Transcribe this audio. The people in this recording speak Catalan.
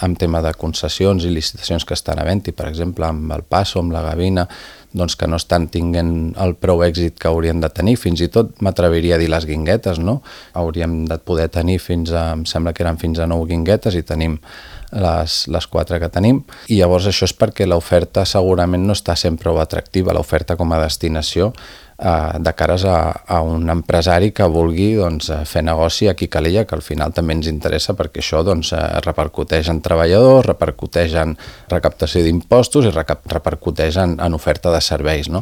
amb tema de concessions i licitacions que estan havent-hi, per exemple, amb el Passo, amb la Gavina, doncs que no estan tinguent el prou èxit que haurien de tenir. Fins i tot m'atreviria a dir les guinguetes, no? Hauríem de poder tenir em sembla que eren fins a 9 guinguetes i tenim les 4 que tenim, i llavors això és perquè l'oferta segurament no està sent prou atractiva, l'oferta com a destinació de cares a un empresari que vulgui fer negoci aquí a Calella, que al final també ens interessa perquè això repercuteix en treballadors, repercuteix en recaptació d'impostos i repercuteix en oferta de serveis, no?